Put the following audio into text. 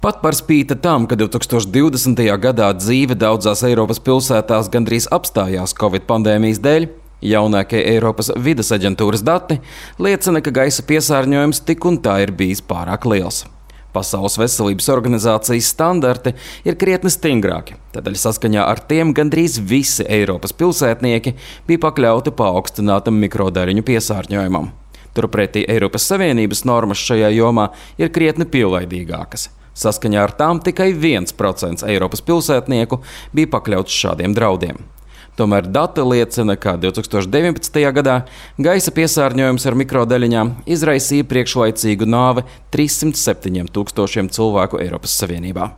Pat par spīti tam, ka 2020. gadā dzīve daudzās Eiropas pilsētās gandrīz apstājās Covid pandēmijas dēļ, jaunākie Eiropas vides aģentūras dati liecina, ka gaisa piesārņojums tik un tā ir bijis pārāk liels. Pasaules veselības organizācijas standarti ir krietni stingrāki, tādēļ saskaņā ar tiem gandrīz visi Eiropas pilsētnieki bija pakļauti paaugstinātam mikrodaļiņu piesārņojumam. Turpretī Eiropas Savienības normas šajā jomā ir krietni pielaidīgākas. Saskaņā ar tām tikai 1% Eiropas pilsētnieku bija pakļauts šādiem draudiem. Tomēr dati liecina, ka 2019. gadā gaisa piesārņojums ar mikrodaļiņām izraisīja priekšlaicīgu nāvi 307 000 cilvēku Eiropas Savienībā.